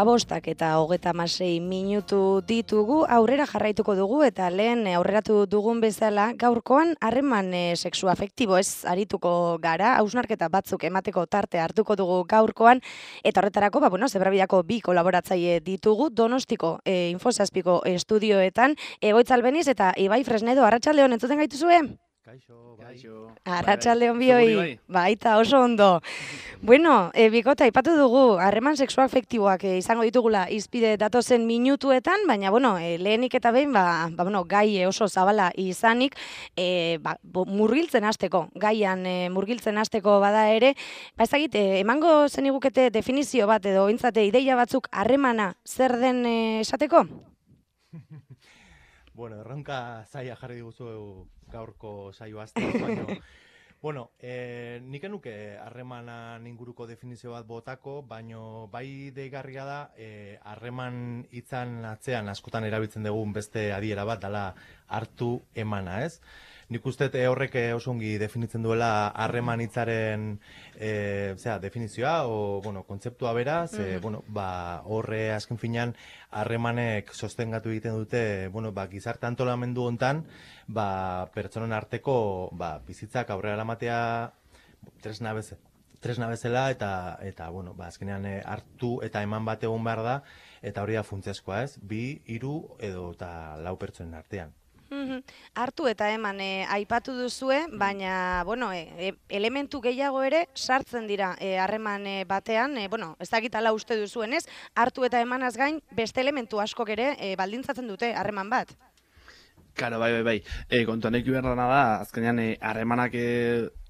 Bostak eta 36 minutu ditugu, aurrera jarraituko dugu eta lehen aurreratu dugun bezala gaurkoan harreman sexuafektibo ez arituko gara, hausnarketa batzuk emateko tarte hartuko dugu gaurkoan eta horretarako, Zebrabidako bi kolaboratzaile ditugu, Donostiko Info7ko estudioetan, Egoitz Albeniz eta Ibai Fresnedo, arratsaldeon entzuten gaituzue? Kaixo. Arratsaldeon bioi, baita oso ondo. Bueno, bikota, aipatu dugu, harreman sexuafektiboak izango ditugula izpide datozen minutuetan, baina, lehenik eta behin, gai oso zabala izanik, murgiltzen hasteko, gaian murgiltzen hasteko bada ere, ezagit, emango zenigukete definizio bat edo intzate ideia batzuk harremana zer den esateko? Bueno, erronka zaila jarri diguzu gaurko saio azten, baina, nik enuke harremanan inguruko definizio bat botako, baina bai deigarria da, harreman hitzan atzean askotan erabiltzen dugun beste adiera bat dela hartu emana, ez? Nik uste horrek oso ongi definitzen duela harreman hitzaren definizioa, kontzeptua beraz, horre azken finean harremanek sostengatu egiten dute, gizarte antolamendu hontan, pertsonen arteko bizitzak aurrera eramatea tresna bezala eta azkenean hartu eta eman bat egon behar da, eta hori da funtsezkoa, ez? 2, 3 edo eta 4 pertsonen artean. Hartu eta eman aipatu duzue, baina elementu gehiago ere sartzen dira harreman batean, ez dakit ala uste duzuenez, hartu eta emanaz gain beste elementu askok ere baldintzatzen dute harreman bat. Karo, bai. Kontuan eki behar da, azkenean harremanak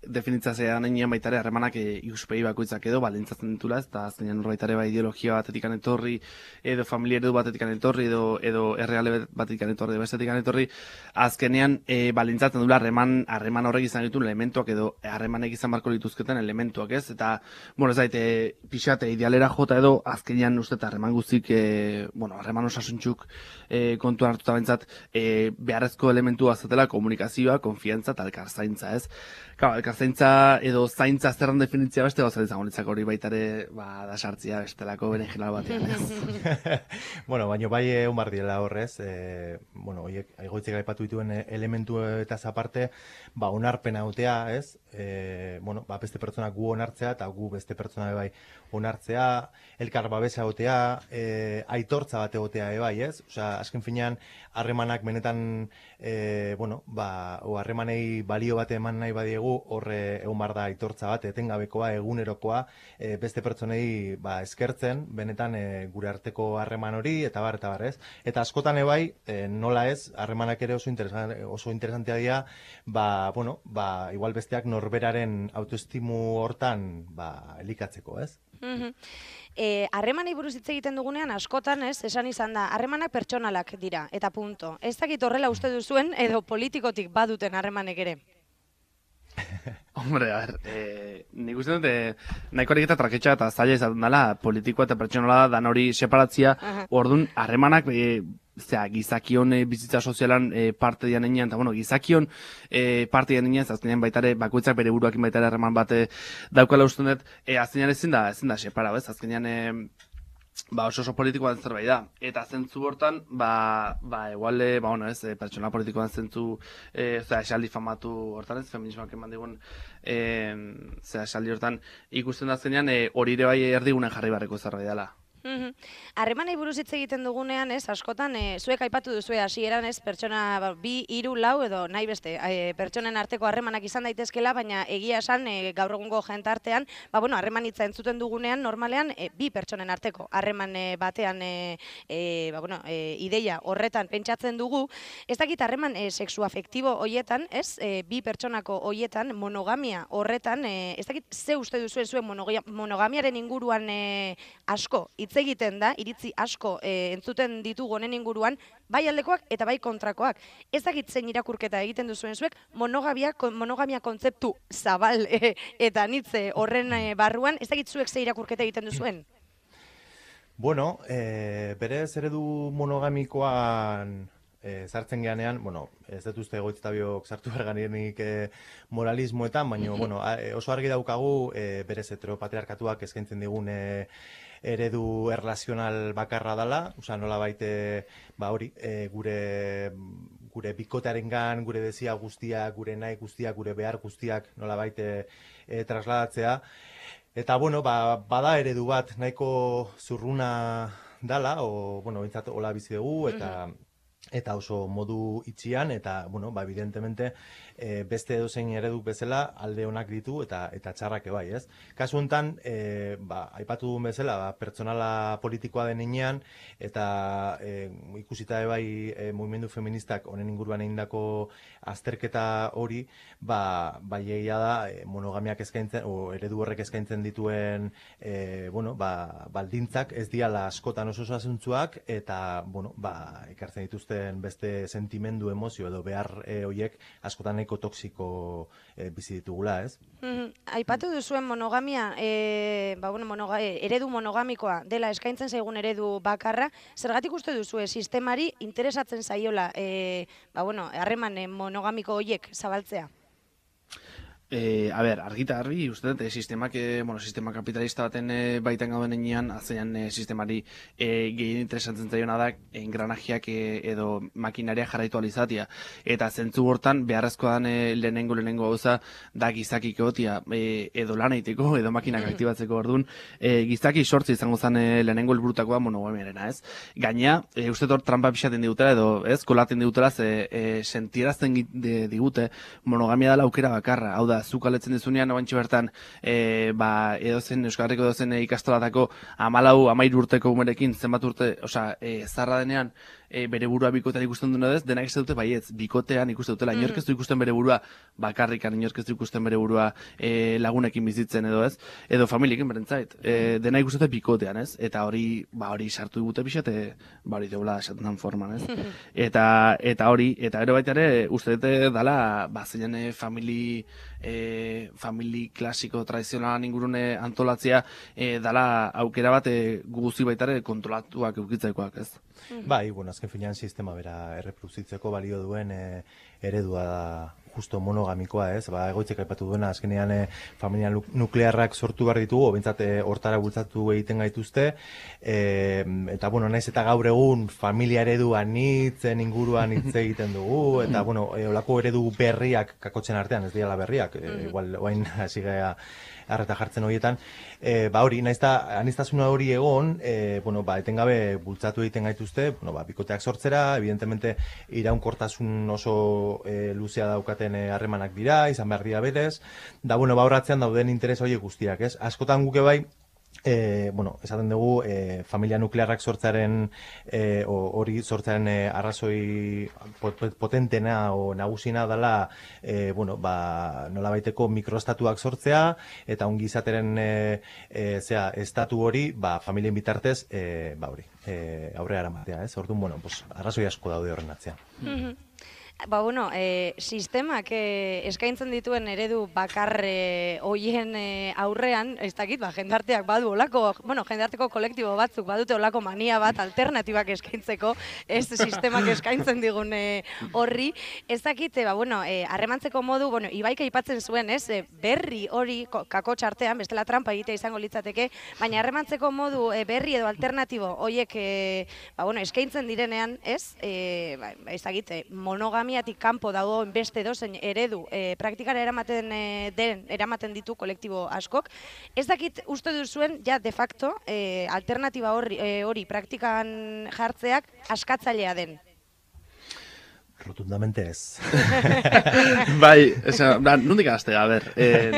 definitzatzea nien baitare harremanak ikuspegi bakoitzak edo baldintzatzen ditula, eta azkenean horbaitare ideologia batetikan etorri, edo familia eredu batetikan etorri, edo erreale batetikan etorri, bestetikan etorri, azkenean baldintzatzen dula harreman horrek izan dituen elementuak edo harremanek izan barko dituzketen elementuak, ez? Eta, ez daite, pixate idealera jota edo azkenean uste eta harreman guztik, harreman osasuntxuk kontuan hartuta bentsat, beharrezko elementua zatela komunikazioa, konfiantza eta elkarzaintza, ez? Elkarzaintza edo zaintza zerran definitzia beste gauza izango litzak hori baitare da sartzia bestelako beren general batean, ez? Baina bai egon bar diela horrez, horiek egoitzek aipatu dituen elementu eta aparte, onarpena egotea, ez? Beste pertsonak gu onartzea eta gu beste pertsona bai onartzea, elkar babesa egotea, aitortza bat egotea bai, ez? Azken finean, harremanak benetan, harremanei balio bat eman nahi badiegu, horre egon bar da aitortza bat, etengabekoa, egunerokoa, beste pertsonei eskertzen, benetan gure arteko harreman hori, eta bar, ez? Eta askotan ebai, nola ez, harremanak ere oso interesantea dira, igual besteak norberaren autoestimu hortan elikatzeko, ez? Harremanei buruz hitz egiten dugunean askotan, esan izan da, harremanak pertsonalak dira, eta punto. Ez dakit horrela uste duzuen, edo politikotik baduten harremanek ere? Hombre, nik uste dut, nahiko ariketa traketxa eta zaila izaten dela, politikoa eta pertsonala dan hori separatzia, orduan, harremanak, gizakion bizitza sozialan parte dian enean, eta gizakion parte dian enean, azkenean baitare, bakoitzak bere buruakin baitare harreman bate daukala uste dut, azkenean ezin da separa, azkenean oso politikoan zerbait da. Eta zentzu hortan, eguale, pertsona politikoan zentzu, esaldi famatu hortan ez, feminismoak eman digun, esaldi hortan ikusten da zenean, hori ere bai erdigunen jarri barreko zerbait dela. Harremanei buruz hitz egiten dugunean, askotan, zuek aipatu duzue hasieran, pertsona 2, 3, 4 edo nahi beste, pertsonen arteko harremanak izan daitezkela, baina egia esan gaur egungo jentartean, harreman hitza entzuten dugunean, normalean, 2 pertsonen arteko harreman batean, ideia horretan pentsatzen dugu, ez dakit harreman sexuafektibo hoietan, 2 pertsonako hoietan, monogamia horretan, ez dakit ze uste duzuen zuen monogamiaren inguruan asko hitz hitz egiten da, iritzi asko entzuten ditugu honen inguruan, bai aldekoak eta bai kontrakoak. Ez dakit zein irakurketa egiten duzuen zuek, monogamia kontzeptu zabal eta nitze horren barruan, ez dakit zuek ze irakurketa egiten duzuen? Bueno, berez eredu monogamikoan sartzen geanean, bueno, ez dut uste egoitztabiok sartu berganienik moralismoetan, baina bueno, oso argi daukagu berez heteropatriarkatuak eskaintzen digun eredu erlazional bakarra dela, osea nola baite, hori, gure bikotearengan, gure desio guztiak, gure nahi guztiak, gure behar guztiak nola baite trasladatzea. Eta, bueno, bada eredu bat nahiko zurruna dala, bueno, bintzat hola bizi dugu, eta oso modu itxian, eta, bueno, evidentemente, beste edozein ereduk bezala alde onak ditu eta txarrak bai, ez? Kasu honetan, aipatu duen bezala, pertsonala politikoa den heinean, eta ikusita bai mugimendu feministak honen inguruan egindako azterketa hori, egia da monogamiak eskaintzen, o eredu horrek eskaintzen dituen baldintzak ez diala askotan oso asuntzuak, eta, ekartzen dituzten beste sentimendu, emozio edo behar horiek askotan nahiko toksiko bizi ditugula, ez? Aipatu duzuen monogamia, eredu monogamikoa dela eskaintzen zaigun eredu bakarra, zergatik uste duzue sistemari interesatzen zaiola harreman monogamiko horiek zabaltzea? Argita garbi, uste dut, sistema kapitalista baten baitan gauden enean, azeian sistemari gehien interesatzen zaiona da engranajeak edo makinaria jarraitu alizatia. Eta zentzu hortan, beharrezkoa dan lehenengo gauza da gizakik egotia edo lan egiteko, edo makinak aktibatzeko orduan, gizaki sortzi izango zen lehenengo helburutakoa monogamiarena, ez? Gaina, uste dut, trampa pixaten digutela edo, ez, kolaten digutela, sentierazten digute monogamia dela aukera bakarra, hau da, zuk aletzen dizunean, oantxe bertan, Euskal Herriko edozen ikastolatako 14-15 urteko umerekin, zenbat urte, zarra denean, bere burua bikotean ikusten duen edez, denak ez dute baietz, bikotean ikusten dutela, inork ez du ikusten bere burua bakarrikan, inork ez du ikusten bere burua lagunekin bizitzen edo ez, edo familiekin berentzait, denak ikusten dute bikotean, ez, eta hori sartu digute pixate, hori deula esaten dan forman, ez, eta hori, eta ero baita ere, uste dute dala, zeinan famili klasiko tradizionalan ingurune antolatzea dala aukera bat guguzi baitare kontrolatuak eukitzaikoak, ez? Bai, azken finean sistema bera erreproduzitzeko balio duen eredua da justo monogamikoa, ez? Egoitzek aipatu duena, azkenean familia nuklearrak sortu behar ditugu, bintzat hortara bultzatu egiten gaituzte, eta, naiz eta gaur egun familia eredu anitzen inguruan hitz egiten dugu, eta, olako eredu berriak kakotzen artean, ez diala berriak, igual, oain hasi gara arreta jartzen horietan, hori, naiz eta aniztasuna hori egon, etengabe bultzatu egiten gaituzte, bikoteak sortzera, evidentemente iraunkortasun oso luzea daukaten harremanak dira, izan behar dira berez, da, horratzean dauden interes horiek guztiak, ez? Askotan guke bai, esaten dugu, familia nuklearrak sortzaren, hori sortzaren arrazoi potentena o nagusina dela, nola baiteko mikroestatuak sortzea, eta ongi izateren estatu hori, familien bitartez, aurrera eramatea, ez? Orduan, arrazoi asko daude horren atzean. Sistemak eskaintzen dituen eredu bakar hoien aurrean, ez dakit, jendarteak badu olako, jendarteko kolektibo batzuk badute olako mania bat alternatibak eskaintzeko, ez sistemak eskaintzen digun horri, ez dakit, harremantzeko modu, Ibaik aipatzen zuen, ez, berri hori kako txartean, bestela trampa egitea izango litzateke, baina harremantzeko modu berri edo alternatibo hoiek eskaintzen direnean, ez, ez dakit, monogamiatik kanpo dagoen beste dozen eredu praktikara eramaten ditu kolektibo askok. Ez dakit uste duzuen, ja de facto, alternatiba hori praktikan jartzeak askatzailea den. Rotundamente ez. Bai, nondik azte,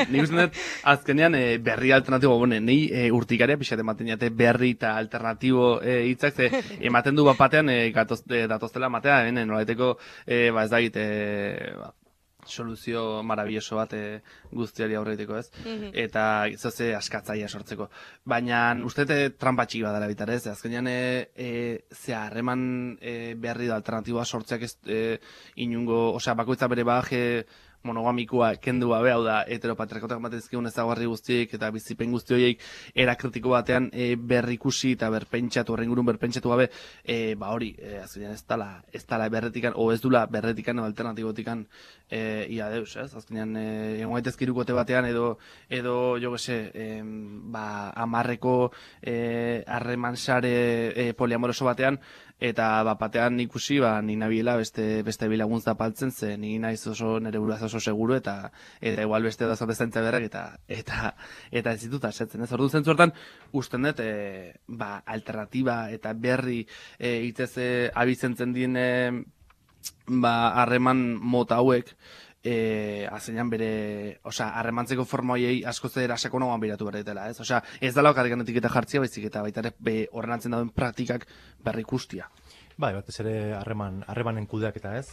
nik uste dut, azkenean berri alternatibo, nahi urtikaria pixat ematen jate berri eta alternatibo hitzak, ematen du bat batean datoztela ematea, nolaiteko, ez da egite, soluzio marabilloso bat guztiari aurreiteko, ez? Eta zoze askatzaia sortzeko. Baina uste trampa txiki bat dela bitarez, azkenean ze harreman berri da alternatiboa sortzeak inungo, osea, bakoitza bere bagaje monogamikoa kendu gabe, hau da, heteropatriarkatak batezkeun ezagarri guztiek eta bizipen guzti horiek era kritiko batean berrikusi eta berpentsatu, horren gurun berpentsatu gabe, hori, azkenean ez dala berretikan, o ez dula berretikan o alternatibotikan ia deus, ez? Azkenean, egon gaitezke irukote batean edo jo gese, amarreko harreman sare poliamoroso batean, eta batean ikusi, ni nabiela beste bilagun zapaltzen, ze ni naiz oso nire buruaz oso seguru, eta igual beste da zapestantza berrek, eta ez ditut asetzen, ez? Ordu zentzu hortan, usten dut, alternatiba eta berri itez abizentzen dien harreman mota hauek, azenean bere, harremantzeko forma horiei asko zera sakonagoan biratu berretela, ez? Ez dala okarrikan etiketa jartzia, baizik eta baita ere horren atzen dauden praktikak berri ikustia. Bai, batez ere harremanen kudeaketa, ez?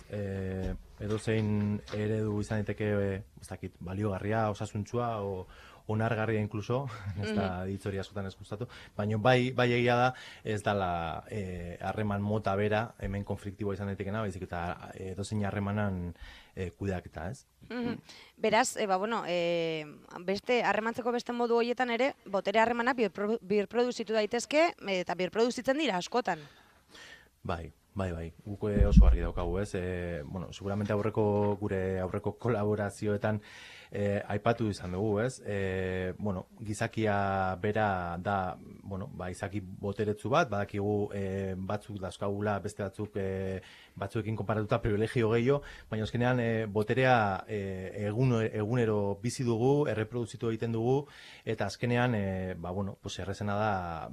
Edozein eredu izan daiteke, ez dakit, baliogarria, osasuntsua, onargarria inkluso, ez da ditzori askotan ez gustatu, baina bai egia da ez dala harreman mota bera, hemen konfliktiboa izan daitekena, baizik eta edozein harremanan kudeaketa, ez? Beraz, beste harremantzeko beste modu horietan ere, botere harremanak birproduzitu daitezke, eta birproduzitzen dira askotan. Bai, guk oso argi daukagu, ez? Seguramente gure aurreko kolaborazioetan aipatu izan dugu, ez? Gizakia bera da, izaki boteretsu bat, badakigu batzuk dauzkagula, beste batzuekin konparatuta privilegio gehiago, baina azkenean boterea egunero bizi dugu, erreproduzitu egiten dugu, eta azkenean, errezena da,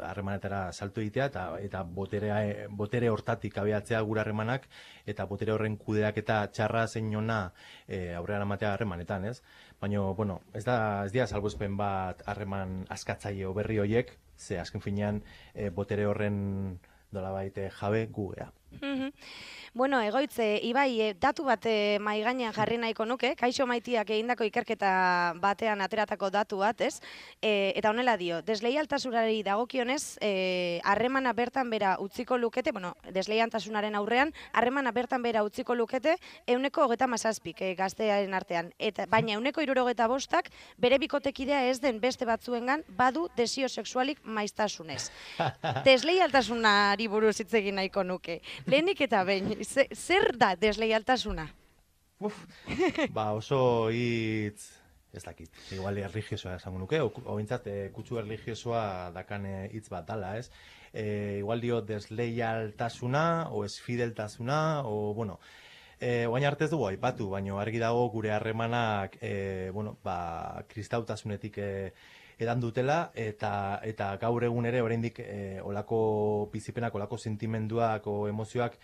harremanetara salto egitea eta botere hortatik abiatzea gure harremanak eta botere horren kudeak eta txarra zein ona aurrean amatea harremanetan, ez? Baina, ez dira salbuespen bat harreman askatzaile berri horiek, ze azken finean botere horren nolabait jabe gu gea. Egoitze, Ibai, datu bat mahai gainean jarri nahiko nuke, Kaixo Maitiak egindako ikerketa batean ateratako datu bat, ez? Eta honela dio, desleialtasunari dagokionez, harremana bertan bera utziko lukete, desleialtasunaren aurrean, harremana bertan bera utziko lukete 37% gaztearen artean. Baina 65% bere bikotekidea ez den beste batzuengan badu desio sexualik maiztasunez. Desleialtasunari buruz hitz egin nahiko nuke. Lehenik eta behin, zer da desleialtasuna? Oso hitz, ez dakit, igual erligiosoa esango nuke, ointzat kutsu erligiosoa dakan hitz bat dala, ez? Igual dio desleialtasuna, o esfideltasuna, oain arte ez dugu aipatu, baina argi dago gure harremanak kristautasunetik edan dutela, eta gaur egun ere oraindik olako bizipenak, olako sentimenduak o emozioak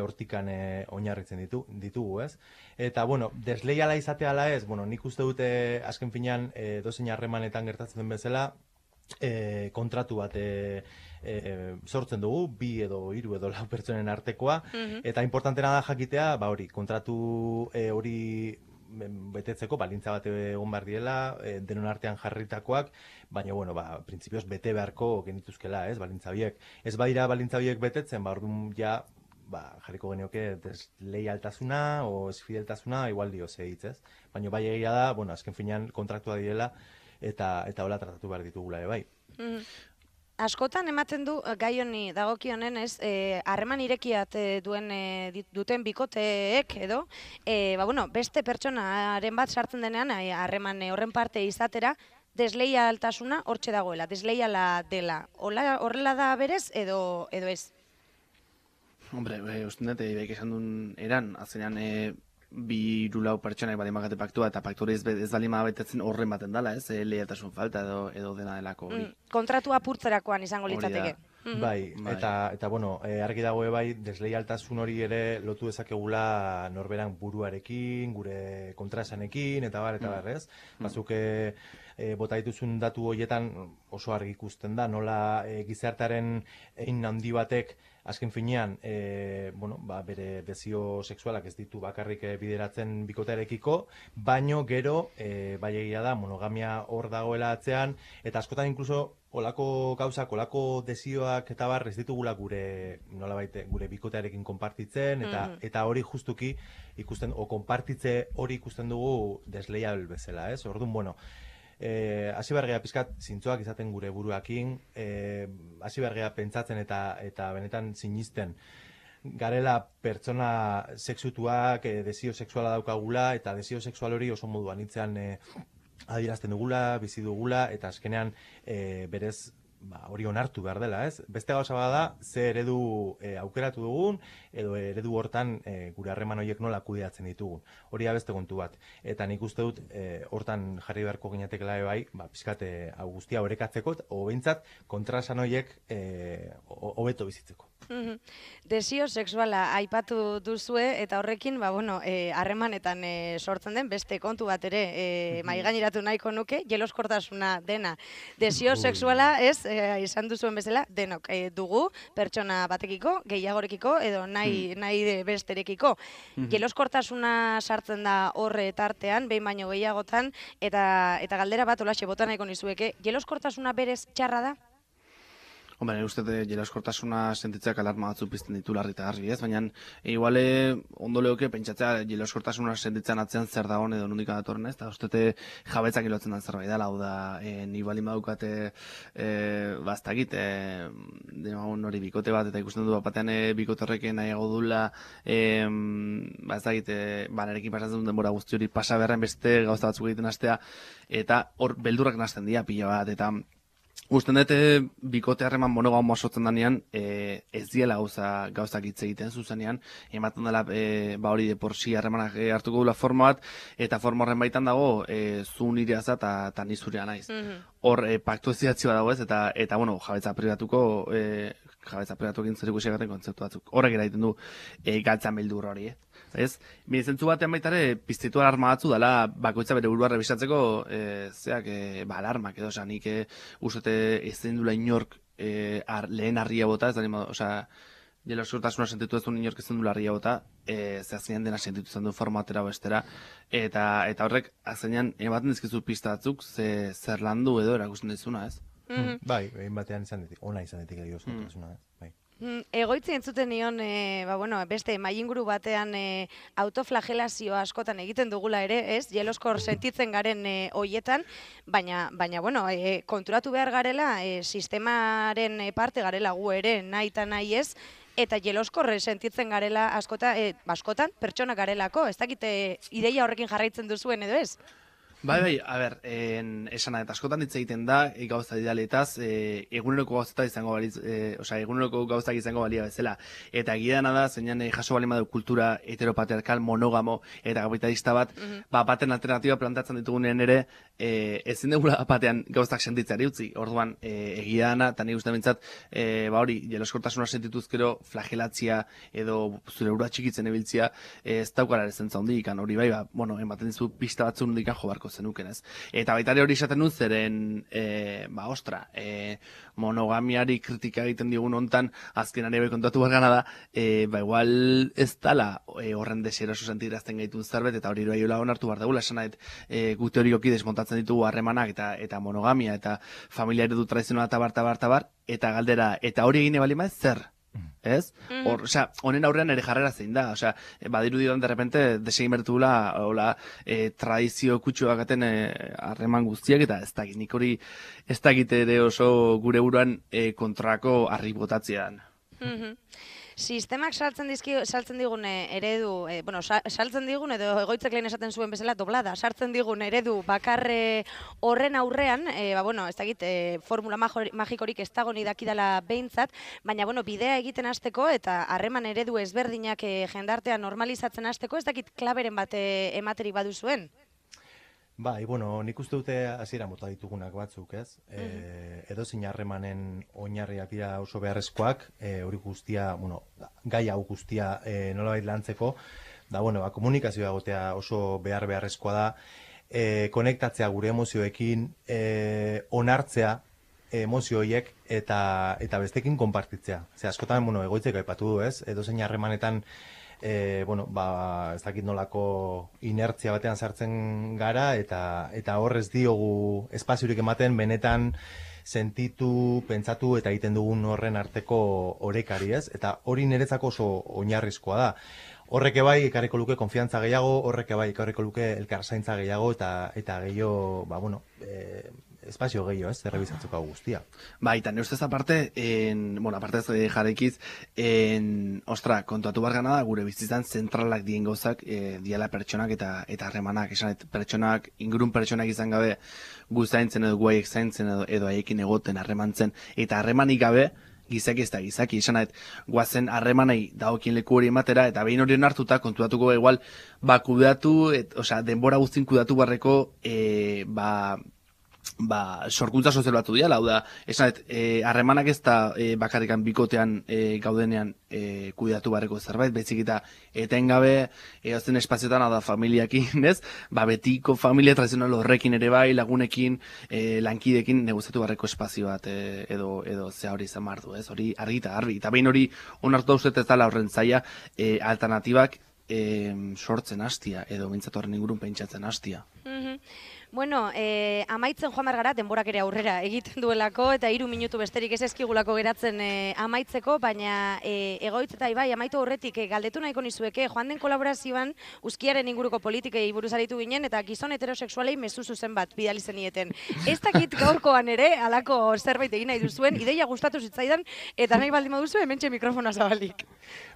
hortikan oinarritzen ditugu, ez? Eta, desleiala izatea ala ez, nik uste dute azken finean dozein harremanetan gertatzen den bezala, kontratu bat sortzen dugu, 2 edo 3 edo 4 pertsonen artekoa, eta importantena da jakitea, kontratu hori betetzeko balintza bat egon behar diela, denon artean jarritakoak, baina, printzipioz bete beharko genituzkela, ez, balintza biek. Ez badira balintza biek betetzen, orduan ja, jarriko genioke desleialtasuna o esfideltasuna, igual dio hitz, ez? Baina bai egia da, azken finean kontraktua direla, eta hola tratatu behar ditugula, bai. Askotan ematen du gai honi dagokionen, ez, harreman irekiat duten bikoteek edo, beste pertsonaren bat sartzen denean, harreman horren parte izatera, desleialtasuna hortxe dagoela, desleiala dela. Horrela da berez edo ez? Hombre, uste dut, Ibaik esan duen eran, azenean 2-4 pertsonak badin bakate paktua, eta paktu hori ez balima betetzen horren baten dala, ez? Leialtasun falta edo dena delako hori. Kontratu apurtzerakoan izango litzateke. Bai, eta argi dago bai, desleialtasun hori ere lotu dezakegula norberan buruarekin, gure kontraesanekin, eta bar, ez? Batzuk bota dituzun datu horietan oso argi ikusten da, nola gizartearen hein handi batek azken finean, bere desio sexualak ez ditu bakarrik bideratzen bikotearekiko, baino gero, bai egia da, monogamia hor dagoela atzean, eta askotan inkluso olako gauzak, olako desioak eta bar ez ditugula gure bikotearekin konpartitzen, eta hori justuki ikusten, o konpartitze hori ikusten dugu desleial bezala, ez? Orduan, hasi behar geha pizkat zintzoak izaten gure buruakin, hasi behar geha pentsatzen eta benetan sinisten garela pertsona sexutuak, desio sexuala daukagula, eta desio sexual hori oso moduan itzean adierazten dugula, bizi dugula, eta azkenean berez hori onartu behar dela, ez? Beste gauza bada, ze eredu aukeratu dugun, edo eredu hortan gure harreman horiek nola kudeatzen ditugun. Hori da beste kontu bat. Eta nik uste dut, hortan jarri beharko ginatekela bai, pizkat hau guztia orekatzeko, o behintzat kontrasan horiek hobeto bizitzeko. Desio sexuala aipatu duzue, eta horrekin, harremanetan sortzen den beste kontu bat ere maigaineratu nahiko nuke, jeloskortasuna dena. Desio sexuala ez, izan duzuen bezala, denok dugu, pertsona batekiko, gehiagorekiko, edo nahi besterekiko. Jeloskortasuna sartzen da horre tartean, behin baino gehiagotan, eta galdera bat olaxe bota nahiko nizueke, jeloskortasuna berez txarra da? Hombre, uste jeloskortasuna sentitzeak alarma batzu pizten ditu larri eta garri, ez? Baina, iguale, ondo lehoke, pentsatzea jeloskortasuna sentitzen atzean zer da hon edo nondik datorren, ez? Eta uste jabetzak ilotzen den zerbait dela, hau da, ni bali badukate, bastakit, hori bikote bat, eta ikusten du batean bikote horrekin nahiago dula, bastakit, nerekin pasatzen duen denbora guzti hori pasa beharren beste gauza batzuk egiten hastea, eta hor beldurrak nazten dira pila bat, eta usten dut, bikote harreman monogamo sortzen danean, ez diela gauzak hitz egiten zuzenean, ematen dela hori de porsi harremanak hartuko dula forma bat, eta forma horren baitan dago, zu nire aza eta ni zurea naiz. Hor, paktu ez zidatzioa dago ez, eta jabetza pribatuko, jabetza pribatuekin zer ikusiagaten kontzeptu batzuk. Horrek eraiten du, galtzan beldur hori, ez? Zentzu batean baitare, piztitu alarma batzu dela, bakoitza bere burua rebisatzeko, alarmak edo, nik uste ez den dula inork lehen harria bota, ez da, jeloskortasuna sentitu ez du inork ez den dula harria bota, zehazkenean dena sentitu zen du formatera bestera, eta horrek, azkenean, ematen dizkizu pista batzuk, zer landu edo erakusten dizuna, ez? Bai, behin batean ona izan ditik jeloskortasuna, bai. Egoitzi entzuten nion, beste mailinguru batean autoflagelazio askotan egiten dugula ere, ez? Jeloskor sentitzen garen hoietan, baina konturatu behar garela, sistemaren parte garela gu ere, nahi eta nahi ez, eta jeloskorre sentitzen garela askotan, pertsona garelako, ez dakite ideia horrekin jarraitzen duzuen edo ez? Bai, a ber, esana eta askotan hitz egiten da, gauza idealetaz, eguneroko gauzak izango balia bezala. Eta gidana da, zeinan jaso bali madu kultura heteropatriarkal, monogamo eta kapitalista bat, baten alternatiba plantatzen ditugunean ere, ezin dugula batean gauzak sentitzeari utzi. Orduan, egia dana, eta nik uste bintzat, jeloskortasuna sentituzkero flagelatzia edo zure ura txikitzen ebiltzia, ez daukara ere zentza hondik, hori bai, ematen dizu pista batzu hondik jo barko zenuken, ez? Eta baitare hori esaten dut zeren, monogamiari kritika egiten digun hontan, azkenari bai kontatu bargana da, igual ez dala horren desieroso sentirazten gaitun zerbet, eta hori bai onartu behar dugula, esan nahet, gu teorikoki desmontatzen ditugu harremanak eta monogamia, eta familia eredu tradizionala tabar, eta galdera, eta hori egine bali maiz, zer? Ez? Honen aurrean ere jarrera zein da, badiru didan derrepente desegin bertugula tradizio kutsuak gaten harreman guztiak, eta ez dakit, nik hori ez dakit ere oso gure buruan kontrako harri botatzean. Sistemak saltzen digun eredu, saltzen digun edo egoitzek lehen esaten zuen bezala doblada, sartzen digun eredu bakarre horren aurrean, ez dakit, formula magikorik ez dago ni dakidala behintzat, baina bidea egiten hasteko eta harreman eredu ezberdinak jendartean normalizatzen hasteko, ez dakit klaberen bat ematerik baduzuen? Bai, nik uste dute hasiera mota ditugunak batzuk, ez? Edozein harremanen oinarriak dira oso beharrezkoak, hori guztia, gai hau guztia nolabait lantzeko, da, komunikazioa egotea oso beharrezkoa da, konektatzea gure emozioekin, onartzea emozio horiek eta bestekin konpartitzea. Ze askotan, egoitzek aipatu du, ez? Edozein harremanetan ez dakit nolako inertzia batean sartzen gara eta horrez diogu espaziorik ematen benetan sentitu, pentsatu eta egiten dugun horren arteko orekari, ez? Eta hori niretzako oso oinarrizkoa da. Horrek bai ekarriko luke konfiantza gehiago, horrek bai ekarriko luke elkarzaintza gehiago eta gehiago, espazio gehiago, ez? Errebizatzeko guztia. Bai, eta nire ustez aparte, aparte ez jarrikiz, kontuatu bargana da, gure bizitzan zentralak dien gauzak, diala pertsonak eta harremanak, esanet, pertsonak, ingurun pertsonak izan gabe, gu zaintzen edo guaiek zaintzen edo haiekin egoten harremantzen, eta harremanik gabe, gizaki ez da gizaki, esan guazen harremanei dagokien leku hori ematera, eta behin hori hartuta kontuatuko igual, kudeatu, denbora guztin kudeatu barreko, sorkuntza sozial batu diala, hau da, esan harremanak ez da bakarrikan bikotean gaudenean kudeatu barreko zerbait, bezik eta etengabe eozten espazioetan, hau da, familiakin, ez? Betiko familia tradizional horrekin ere bai, lagunekin, lankidekin negoziatu barreko espazio bat edo zea hori izan bardu, ez? Hori argi eta garbi, eta behin hori onartu dauzet ez dala horren zaila alternatibak sortzen hastia, edo mintzatu horren ingurun pentsatzen hastia. Bueno, amaitzen joan gara, denborak ere aurrera egiten duelako, eta 3 minutu besterik ez ezkigulako geratzen amaitzeko, baina egoitz eta ibai, amaitu horretik galdetu nahiko nizueke, joan den kolaborazioan Uzkiaren inguruko politikei buruz aritu ginen, eta gizon heterosexualei mezu zuzen bat bidali zenieten. Ez dakit gaurkoan ere, halako zerbait egin nahi duzuen, ideia gustatu zitzaidan, eta nahi baldin baduzu, hementxe mikrofona zabalik.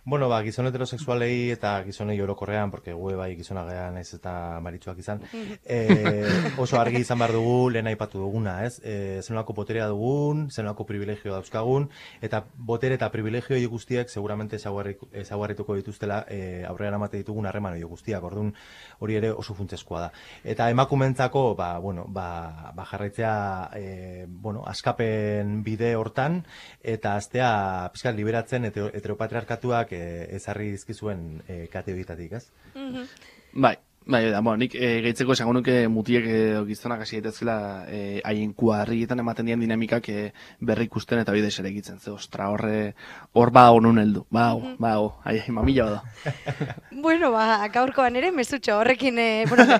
Bueno, gizon heterosexualei eta gizonei orokorrean, porque gue bai gizona gehan ez eta maritxuak izan, oso argi izan behar dugu, lehen aipatu duguna, ez? Zenolako boterea dugun, zenolako privilegio dauzkagun, eta botere eta privilegio hori guztiak seguramente ezaguarrituko dituztela aurrera amate ditugun harreman hori guztiak, orduan hori ere oso funtsezkoa da. Eta emakumentzako, jarraitzea, askapen bide hortan, eta aztea pizkat liberatzen heteropatriarkatuak ezarri dizkizuen kate horietatik, ez? Nik gehitzeko esango nuke mutiek gizonak hasi daitezkela haien kuadrilletan ematen dian dinamikak berri ikusten eta bide ere egitzen. Ze, ostra, hor honun heldu. Mamila bada. Bueno, gaurkoan ere, mesutxo, horrekin,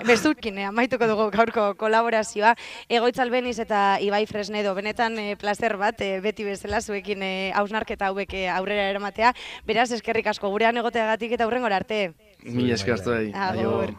mesutkin amaituko dugu gaurko kolaborazioa. Egoitz Albeniz eta Ibai Fresnedo, benetan placer bat, beti bezala zuekin hausnarketa hauek aurrera eramatea. Beraz, eskerrik asko gurean egoteagatik eta hurrengora arte. Mila esker hartu. Agur.